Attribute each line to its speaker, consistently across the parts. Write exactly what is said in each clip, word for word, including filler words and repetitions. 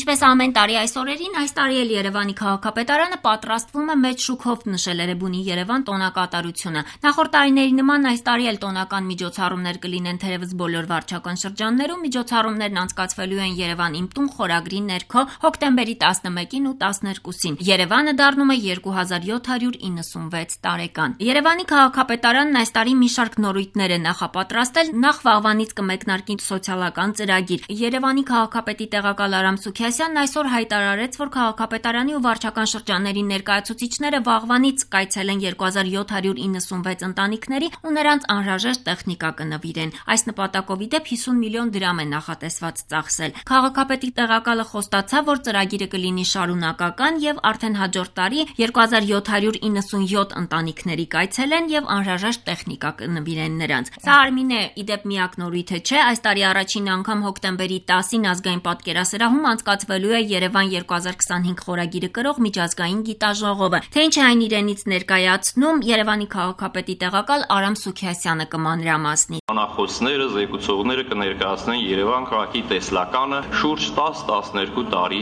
Speaker 1: Ինչպես ամեն տարի այս օրերին, այս տարի էլ Երևանի քաղաքապետարանը պատրաստվում է մեծ շուքով նշել Էրեբունի Երևան տոնակատարությունը։ Նախորդ տարիների նման այս տարի էլ տոնական միջոցառումներ կլինեն թերևս բոլոր վարչական շրջաններում։ Միջոցառումներն անցկացվելու են Երևան իմ տուն խորագրի ներքո հոկտեմբերի տասնմեկին ու տասներկուսին։ Երևանը դառնում է երկու հազար յոթ հարյուր իննսունվեց տարեկան։ Երևանի քաղաքապետարանն այս տարի մի շարք նորույթներ է նախապատրաստել։ Նախ վաղվանից կմեկնարկի սոցիալական ծրագիր։ Երևանի քաղաքապետի տեղակալ Արամ Սուքիասյանն այսօր հայտարարեց, որ քաղաքապետարանի ու վարչական շրջանների ներկայացուցիչները վաղվանից կայցելեն երկու հազար յոթ հարյուր իննսունվեց ընտանիքների ու նրանց անհրաժեշտ տեխնիկա կնվիրեն։ Այս նպատակով ի դեպ հիսուն միլիոն դրամ է նախատեսված ծախսել։ Քաղաքապետի տեղակալը խոստացավ, որ ծրագիրը կլինի շարունակական եւ արդեն հաջորդ տարի երկու հազար յոթ հարյուր իննսունյոթ ընտանիքների կայցելեն եւ անհրաժեշտ տեխնիկա կնվիրեն նրանց։ Սա Արմինե ի դեպ միակ նորույթը չէ։ Այս տարի առաջին անգամ հոկտեմբերի տասին ազգային պատկերասրահում անցկացվելու է Երևան երկու հազար քսանհինգ խորագիրը կրող միջազգային գիտաժողովը։ Թե ինչ է այն իրենից ներկայացնում, Երևանի քաղաքապետի տեղակալ Արամ Սուքիասյանը կմանրամասնի։
Speaker 2: Բանախոսները, զեկուցողները կներկայացնեն Երևան քաղաքի տեսլականը շուրջ տասը տասներկու տարի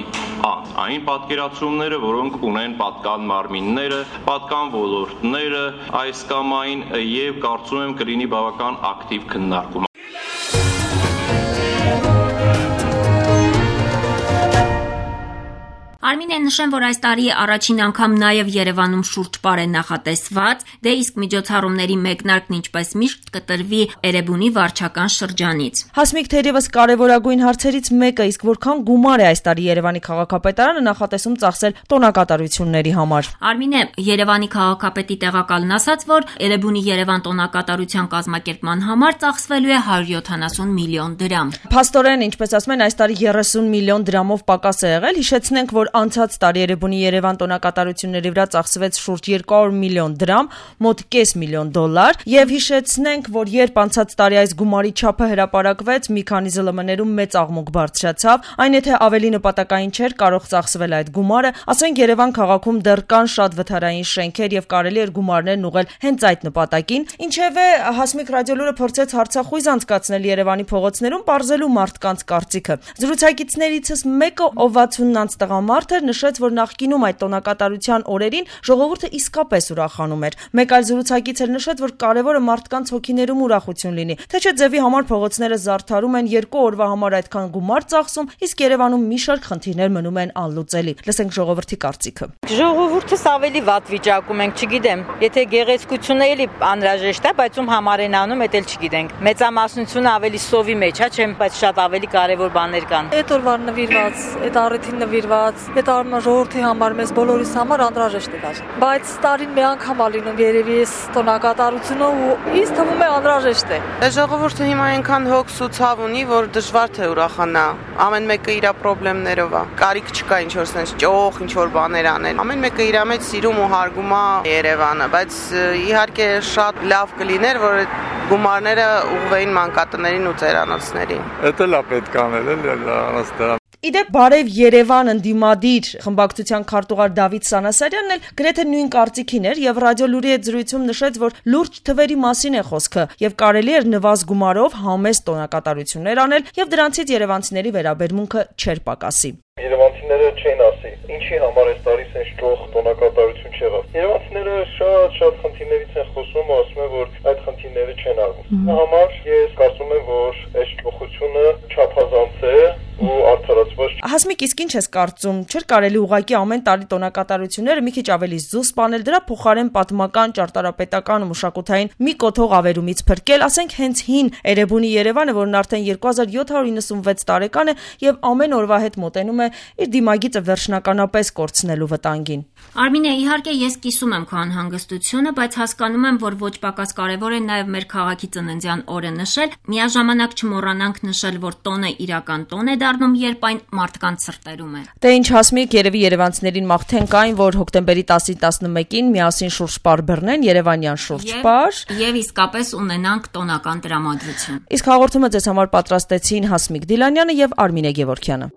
Speaker 2: անց։ Այն պատկերացումները, որոնք ունեն պատկան մարմինները, պատկան ոլորտները, այս կամ այն եւ կարծում եմ կլինի բավական ակտիվ քննարկում։
Speaker 1: Արմին է նշեն, որ այս տարի առաջին անգամ նաև Երևանում շուրջ պար է նախատեսված, դե իսկ միջոցառումների մեկնարկն ինչպես միշտ կտրվի Էրեբունի վարչական շրջանից։
Speaker 3: Հասմիկ, թերևս կարևորագույն հարցերից մեկը, իսկ որքան գումար է այս տարի Երևանի քաղաքապետարանը նախատեսում ծախսել տոնակատարությունների համար։
Speaker 1: Արմին է, Երևանի քաղաքապետի տեղակալն ասաց, որ Էրեբունի Երևան տոնակատարության կազմակերպման համար ծախսվելու է հարյուր յոթանասուն միլիոն դրամ։
Speaker 3: Փաստորեն, ինչպես ասում են, այս տարի երեսուն միլիոն դրամով պակաս է եղել։ Հիշեցնենք, որ անցած տարի Էրեբունի Երևան տոնակատարությունների վրա ծախսվեց շուրջ երկու հարյուր միլիոն դրամ, մոտ կես միլիոն դոլար, եւ հիշեցնենք, որ երբ անցած տարի այս գումարի չափը հրապարակվեց, մի քանի ԶԼՄ-ներում մեծ աղմուկ բարձրացավ, այն եթե ավելի նպատակային չէր կարող ծախսվել այդ գումարը, ասենք Երևան քաղաքում դեռ կան շատ վթարային շենքեր եւ կարելի էր գումարներն ուղղել հենց այդ նպատակին, ինչևէ Հասմիկ ռադիոլուրը փորձեց հարցախույզ անցկացնել Երևանի փողոցներում, պարզելու մարդկանց կարծիքը։ Զրուցակիցներիցս մեկը, ով վաթսունանց տղամարդ էր, նշեց, որ նախկինում այդ տոնակատարության օրերին ժողովուրդը իսկապես ուրախանում էր։ Մեկ այլ զրուցակից էր նշեց, որ կարևորը մարդկանց հոգիներում ուրախություն լինի, թե չէ ձևի համար փողոցները զարդարում են, երկու օրվա համար այդքան գումար ծախսում, իսկ Երևանում մի շարք խնդիրներ մնում են անլուծելի։ Լսենք ժողովրդի կարծիքը։
Speaker 4: Ժողովուրդս ավելի վատ վիճակում ենք, չգիտեմ, եթե գեղեցկությունը էլի անհրաժեշտ է, բայց ում համար են անում, դա էլ չգիտենք։ Մեծամասնությունը ավելի սովի մեջ է, չեմ, բայց շատ ավելի կարևոր բաներ կան։
Speaker 5: Այդ օրվա նվիրված, այդ առիթին նվիրված, այդ արմա ժողովրդի համար, մեզ բոլորիս համար անհրաժեշտ է դա։ Բայց տարին մի անգամ է լինում երևի այս տոնակատարությունը ու ինձ թվում է անհրաժեշտ է։
Speaker 6: Ժողովուրդը հիմա այնքան հոգս ու ցավ ունի, որ դժվար թե ուրախանա։ Ամեն մեկը իր խնդիրներով է։ Կարիք չկա ինչ որ sense ճոխ, ինչ որ բաներ անել։ Ամեն մեկը իր մեջ սիրում ու հարգում է Երևանը, բայց իհարկե շատ լավ կլիներ, որ գումարները ուղղվեին մանկատներին ու ծերանոցներին։
Speaker 7: Դա լավ պետք է անել, էլի անաստա։
Speaker 3: Իդեպ բարև Երևան ընդդիմադիր խմբակցության քարտուղար Դավիթ Սանասարյանն էլ գրեթե նույն կարծիքին էր եւ ռադիոլուրի հետ զրույցում նշեց, որ լուրջ թվերի մասին է խոսքը եւ կարելի էր նվազ գումարով համեստ տոնակատարություններ անել եւ դրանցից երևանցիների վերաբերմունքը չէր պակասի։
Speaker 8: Երևանցիները չեն ասի, ինչի համար այս տարի sense ճոխ տոնակատարություն չեղավ։ Երևանցիները շատ-շատ խնդիրներից են խոսում ու ասում են, որ այդ խնդիրները չեն արվում։ Դա համար ես կարծում եմ, որ այս ճոխությունը չափազանց է ու արդարացված։
Speaker 3: Հասմիկ, իսկ ինչ ես կարծում, չէր կարելի ուղղակի ամեն տարի տոնակատարությունները մի քիչ ավելի զուսպ սպանել, դրա փոխարեն պատմական, ճարտարապետական ու մշակութային մի կոթող ավերումից փրկել, ասենք հենց հին Էրեբունի Երևանը, որն արդեն երկու հազար յոթ հարյուր իննսունվեց տարեկան է եւ ամեն օրվա հետ մոտենում է իր դիմագիծը վերջնականապես կորցնելու վտանգին։
Speaker 1: Արմին է, իհարկե ես կիսում եմ քո անհանգստությունը, բայց հասկանում եմ, որ ոչ պակաս կարևոր է նաև մեր քաղաքի ծննդյան օրը նշել, միաժամանակ չմոռանանք նշել, որ տոնը իրական տոն է դառնում, երբ այն մարդկանց սրտերում է։
Speaker 3: Դե ինչ Հասմիկ, երևի երևանցիներին մաղթենք այն, որ հոկտեմբերի տասին տասնմեկին միասին շուրջ պար բռնեն, Երևանյան շուրջ պար
Speaker 1: եւ իսկապես ունենանք տոնական տրամադրություն։
Speaker 3: Իսկ հաղորդումը ձեզ համար պատրաստեցին Հասմիկ Դիլանյանը եւ Արմինե Գևորգյանը։